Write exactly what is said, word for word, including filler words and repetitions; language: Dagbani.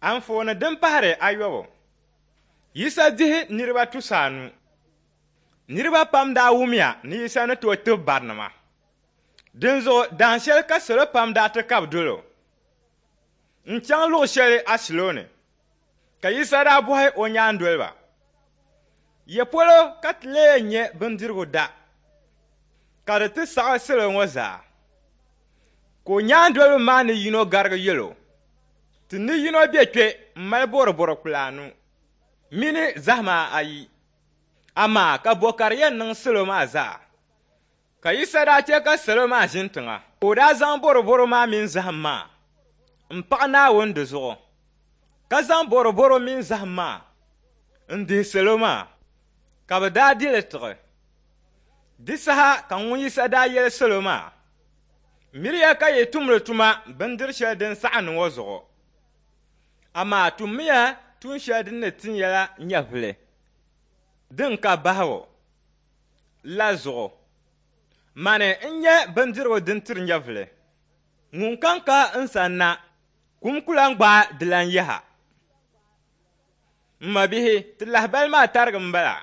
Anfooni din pahiri ayɔbu. Yisa dihi niriba tusa anu. Niriba pam daa wumya ni Yisa ni tooi tib barinima. Dinzuɣu dahin shɛli ka salo pam daa ti kabi dol o n-chaŋ luɣ shɛli ashilɔni. Ka Yisa daa bɔhi o nyaandoliba, Ya polo ka ti lee nya bindirigu da ka di ti saɣi salo ŋɔ zaa? Ka o nyaandoliba maa ni yino garigi yɛl o, Ti ni yino be kpe m-mali bɔrɔbɔro kpula anu mini zahima ayi, amaa ka bɔ ka di yɛn niŋ salo maa zaa? Ka Yisa daa chɛ ka salo maa ʒini tiŋa, ka o daa zaŋ bɔrɔbɔro maa mini zahim maa m-paɣi Naawuni di zuɣu, ka zaŋ bɔrɔbɔro mini zahim maa n-dihi salo maa, ka bɛ daa di li tiɣi. Di saha ka ŋun Yisa daa yɛli salo maa, Miriya ka yi tumdi tuma bindir shɛli din saɣindi ŋɔ zuɣu, amaa tummiya tuun shɛli din ni tin ya la nyɛvili din ka bahigu la zuɣu. Mani n-nyɛ bindirigu din tiri nyɛvili. Ŋunkam ka n sanna, kum ku lan gbaai dilan yaha. M mabihi, ti lahibali maa tarigi m-bala.